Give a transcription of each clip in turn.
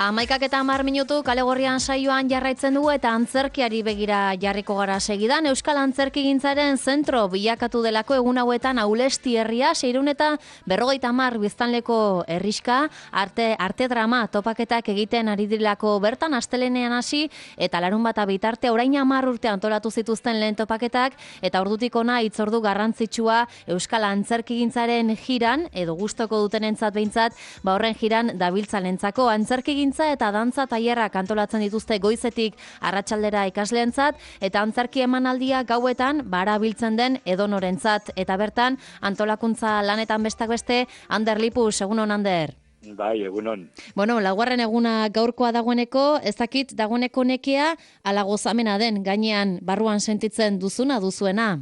11:10 kale gorrian saioan jarraitzen dugu eta antzerkiari begira jarriko gara segidan. Euskal Antzerkigintzaren zentro bilakatu delako egun hauetan Aulesti herria, 650 biztanleko herriska, arte drama topaketak egiten ari direlako bertan astelenean hasi eta larunbata bitarte orain 10 urte antolatu zituzten lehen topaketak eta ordutik ona hitzordu garrantzitsua Euskal Antzerkigintzaren jiran edo gustoko dutenentzat behintzat, horren jiran dabiltzalentzako antzerkigintza eta dantza tailerrak antolatzen dituzte goizetik arratsaldera ikasleentzat eta antzerki emanaldia gauetan barabiltzen den edonorentzat eta bertan antolakuntza lanetan bestak beste Ander Lipus, egunon Ander. Bai, egunon. Bueno, laugarren eguna gaurkoa dagoeneko, ez dakit dagoeneko nekea ala gozamena den gainean barruan sentitzen duzuena?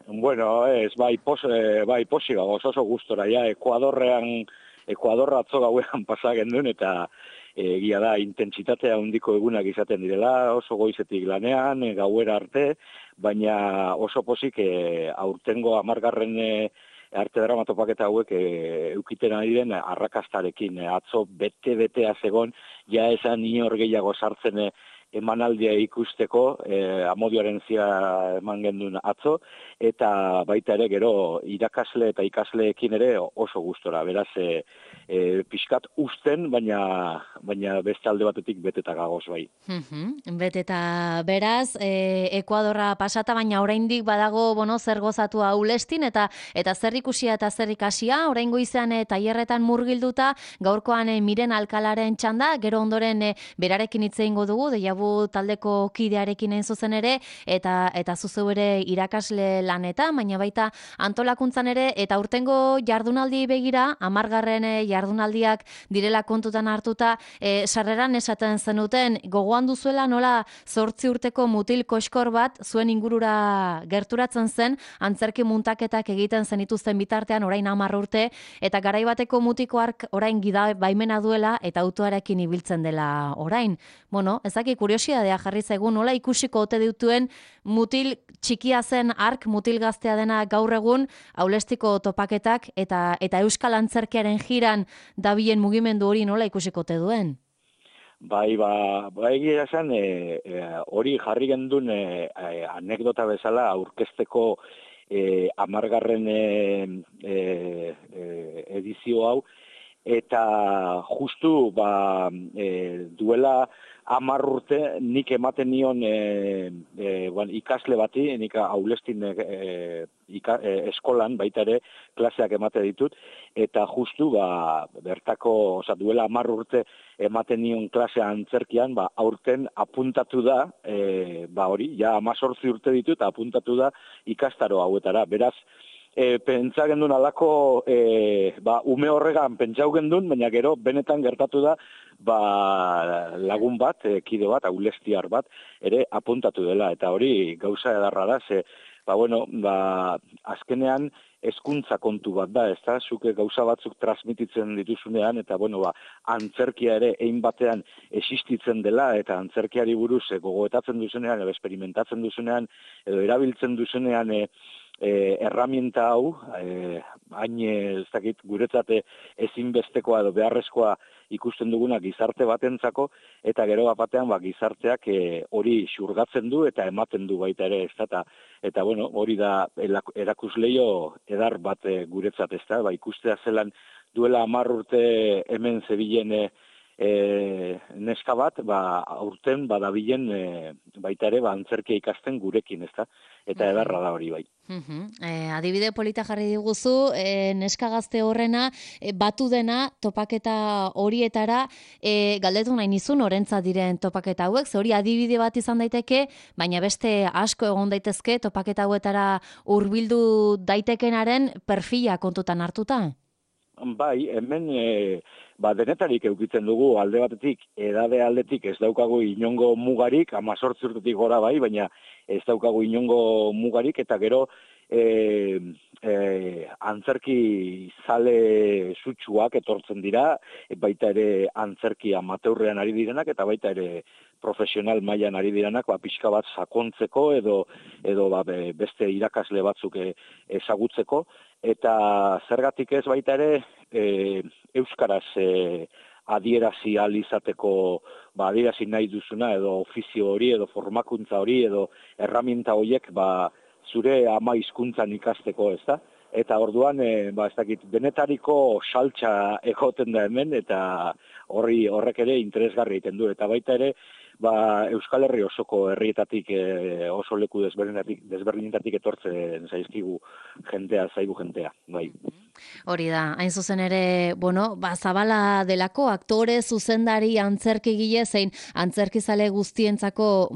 Bueno, bai posi oso gustora ja Ekuadorra atzo gauean pasa genduen eta egia da intentsitatea handiko egunak izaten direla, oso goizetik lanean, gauera arte, baina oso posik aurtengo 10. Arte drama topaketa hauek eukiten ari den arrakastarekin. Atzo bete-betea zegon, ja esan inor gehiago sartzen emanaldia ikusteko, Amodioaren zia eman gendun atzo, eta baita ere gero irakasle eta ikasleekin ere oso gustora. Beraz, pixkat usten, baina beste alde batetik beteta gagoz bai. Beteta beraz, Ekuadorra pasata, baina oraindik badago zer gozatu Aulestin eta zer ikusia eta zer ikasia, oraingo izan tailerretan murgilduta, gaurkoan Miren Alkalaren txanda, gero ondoren berarekin hitz egingo dugu, deiabu taldeko kidearekin hain zuzen ere, eta zuzu ere irakasle lanetan, baina baita antolakuntzan ere, eta urtengo jardunaldi begira, 10. jardunaldiak direla kontutan hartuta, sarreran esaten zenuten, gogoan duzuela nola 8 urteko mutil koskor bat zuen ingurura gerturatzen zen, antzerki muntaketak egiten zenituzten bitartean orain 10 urte, eta garaibateko mutiko hark orain gida baimena duela eta autoarekin ibiltzen dela orain. Bueno, ezaki kuriosidadea jarri zaigu nola ikusiko ote dituen mutil txikia zen hark, mutil gaztea dena gaur egun Aulestiko topaketak eta Euskal Antzerkiaren jiran dabilen mugimendu hori nola ikusiko ote duen? Bai, egia esan, hori jarri gendun anekdota bezala aurkezteko 10. Edizio hau, eta justu duela 10 urte nik ematen nion ikasle bati, nik Aulestin eskolan baita ere klaseak emate ditut, eta justu bertako, duela 10 urte ematen nion klasea antzerkian, aurten apuntatu da, hori, ja 18 urte ditut, apuntatu da ikastaro hauetara. Beraz, pentsa gendun alako, ume horregan pentsau gendun, baina gero benetan gertatu da, lagun bat, kide bat, aulestiar bat, ere apuntatu dela, eta hori gauza edarra da, azkenean hezkuntza kontu bat da, ezta? Zuke gauza batzuk transmititzen dituzunean, eta antzerkia ere ein batean existitzen dela, eta antzerkiari buruz gogoetatzen duzunean, edo experimentatzen duzunean, edo erabiltzen duzunean, erramienta hau, hain ez dakit guretzat ezinbestekoa edo beharrezkoa ikusten duguna gizarte batentzako, eta gero batean gizarteak hori xurgatzen du eta ematen du baita ere, eta hori da erakusleio edar bat guretzat, ikustea zelan duela 10 urte hemen zebilen neska bat, aurten badabilen baita ere antzerkia ikasten gurekin, eta edarra da hori bai. Adibide polita jarri diguzu, neska gazte horrena, batu dena topaketa horietara, galdetu nahi nizun orentzat diren topaketa hauek, ze hori adibide bat izan daiteke, baina beste asko egon daitezke topaketa hauetara hurbildu daitekenaren perfila kontutan hartuta? Bai, hemen denetarik eukitzen dugu alde batetik, edade aldetik ez daukagu inongo mugarik, 18 urtetik gora bai, baina ez daukagu inongo mugarik, eta gero antzerki zale sutsuak etortzen dira, baita ere antzerki amateurrean ari direnak, eta baita ere profesional mailan ari direnak, pixka bat sakontzeko edo beste irakasle batzuk ezagutzeko, eta zergatik ez baita ere euskaraz adierazi ahal izateko, adierazi nahi duzuna, edo ofizio hori, edo formakuntza hori, edo erraminta horiek, zure ama hizkuntzan ikasteko, ez da? Eta orduan, ez dakit, denetariko saltza egoten da hemen, eta horrek ere interesgarri egiten du. Eta baita ere, Euskal Herri osoko herrietatik, oso leku desberdinetatik etortzen zaizkigu zaigu jentea, bai. Hori da, hain zuzen ere, zabala delako, aktore, zuzendari, antzerkigile, zein antzerkizale guztientzako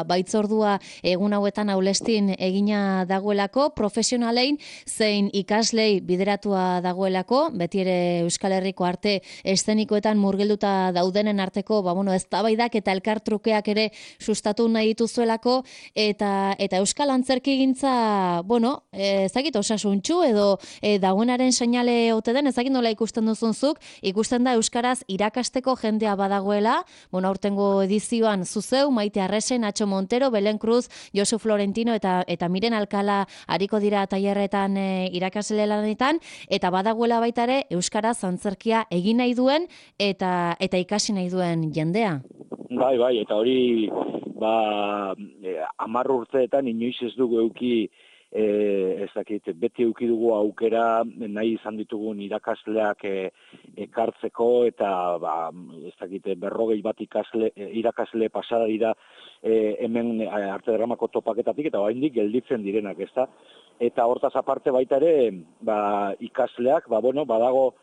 baitzordua egun hauetan aulestin egina dagoelako, profesionalein, zein ikaslei bideratua dagoelako, beti ere Euskal Herriko arte eszenikoetan murgilduta daudenen arteko, eztabaidak eta elkartrukeak ere sustatu nahi dituzuelako, eta Euskal Antzerkigintza, ezagit osasuntxu edo dagoenaren seinale ote den, ezagin nola ikusten duzunzuk, ikusten da euskaraz irakasteko jendea badagoela, aurtengo edizioan zuzeu, Maite Arresen, Nacho Montero, Belen Cruz, Josu Florentino eta Miren Alkala ariko dira tailerretan irakasle lanetan, eta badagoela baita ere euskaraz antzerkia egin nahi duen eta ikasi nahi duen jendea. Bai, eta hori 10 urteetan inoiz ez dugu eduki beti eduki dugu aukera nahi izan ditugun irakasleak ekartzeko eta 40 bat irakasle pasada dira hemen Arte Dramako topaketatik eta oraindik gelditzen direnak, ezta? Eta hortaz aparte baita ere, ikasleak, badago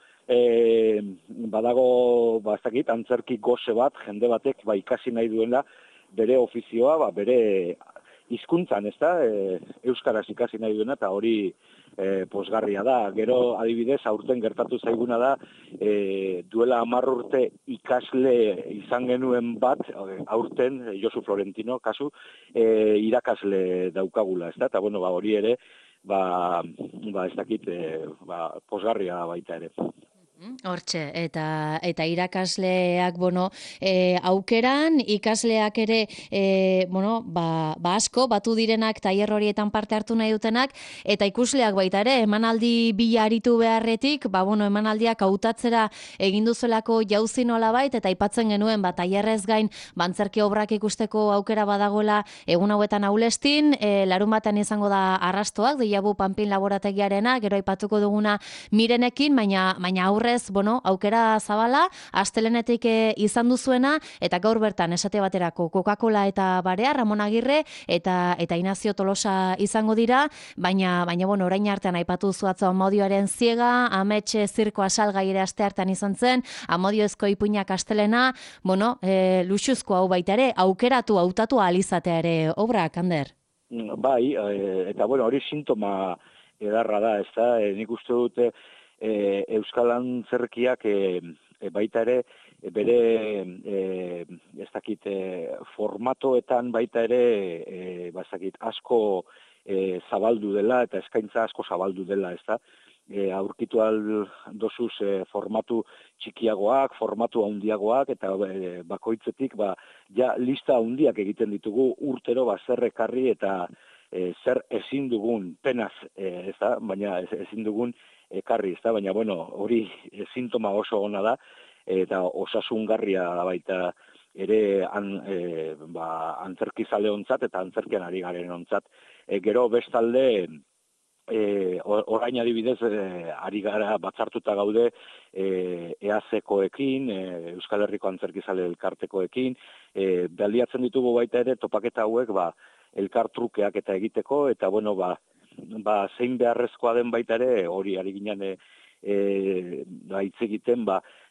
antzerki goze bat, jende batek ikasi nahi duela bere ofizioa, bere hizkuntzan, ezta? Euskaraz ikasi nahi duena, eta hori pozgarria da. Gero, adibidez, aurten gertatu zaiguna da, duela 10 urte ikasle izan genuen bat, aurten, Josu Florentino, kasu, irakasle daukagula, ezta? Eta, hori ere, pozgarria baita ere. Hortxe, eta irakasleak, aukeran, ikasleak ere, asko, batu direnak, tailer horietan parte hartu nahi dutenak, eta ikusleak baita ere, emanaldi bila aritu beharretik, emanaldiak hautatzera egin duzuelako jauzi nolabait, eta aipatzen genuen, tailerrez gain, antzerki obrak ikusteko aukera badagoela egun hauetan aulestin, larun batean izango da arrastoak, Deiabu Panpin laborategiarena, gero aipatuko duguna Mirenekin, baina aurrez, aukera zabala, astelenetik izan duzuena, eta gaur bertan esate baterako Coca-Cola eta Barea, Ramon Agirre, eta Inazio Tolosa izango dira, baina orain artean aipatu zuatzo Amodioaren ziega, Ametxe zirkoa salgai ere aste hartan izan zen, Amodiozko ipuinak astelena, luxuzko hau baita ere, aukeratu, hautatu alizatea ere obrak, Ander? Bai, eta hori sintoma edarra da, ez da, nik uste dute Euskal Antzerkiak baita ere bere formatoetan baita ere asko zabaldu dela eta eskaintza asko zabaldu dela, ez da? Aurkitu dozuz formatu txikiagoak, formatu handiagoak eta bakoitzetik lista handiak egiten ditugu urtero zer ekarri eta zer ezin dugun penaz, ez da? Baina ezin dugun ekarri, ez da, baina, hori sintoma oso ona da, eta osasungarria da baita ere antzerkizale ontzat eta antzerkian ari garen ontzat. Gero bestalde, orain adibidez, ari gara batzartuta gaude EAZ-koekin, Euskal Herriko Antzerkizale elkartekoekin, baliatzen ditugu baita ere topaketa hauek, elkartrukeak eta egiteko, eta, zein beharrezkoa den baita ere, hori ari ginen hitz egiten,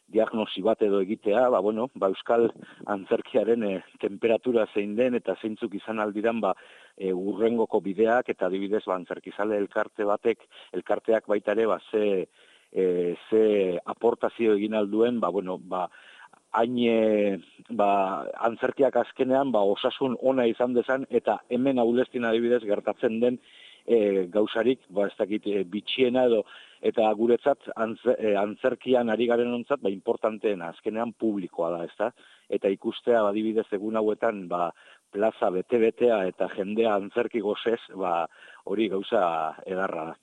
diagnosi bat edo egitea, Euskal Antzerkiaren temperatura zein den eta zeintzuk izan aldiran urrengoko bideak eta adibidez antzerkizale elkarteak baita ere ze aportazio egin alduen, hain antzerkiak azkenean osasun ona izan dezan eta hemen aulestin adibidez gertatzen den gauzarik, bitxiena edo, eta guretzat antzerkian ari garen ontzat, importanteena, azkenean publikoa da, ezta? Eta ikustea, adibidez, egun hauetan, plaza bete-betea eta jendea antzerki gozez, hori gauza edarra da.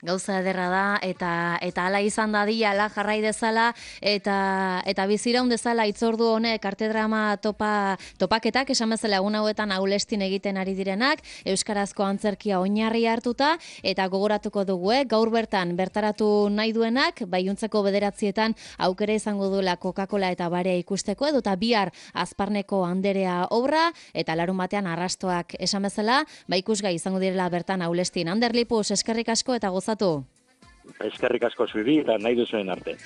Gauza ederra da, eta hala izan dadila, ala jarrai dezala, eta biziraun dezala itzordu honek artedrama topaketak, esan bezala egun hauetan Aulestin egiten ari direnak, euskarazko antzerkia oinarri hartuta, eta gogoratuko dugu, gaur bertan bertaratu nahi duenak, baiuntzeko 9 aukera izango duela Coca-Cola eta barea ikusteko, edota bihar Azparneko Anderea obra, eta larun batean arrastoak esan bezala, ikusgai izango direla bertan Aulestin. Ander Lipus, eskerrik asko eta gozatu. Eskerrik asko zuri eta nahi duzuen arte.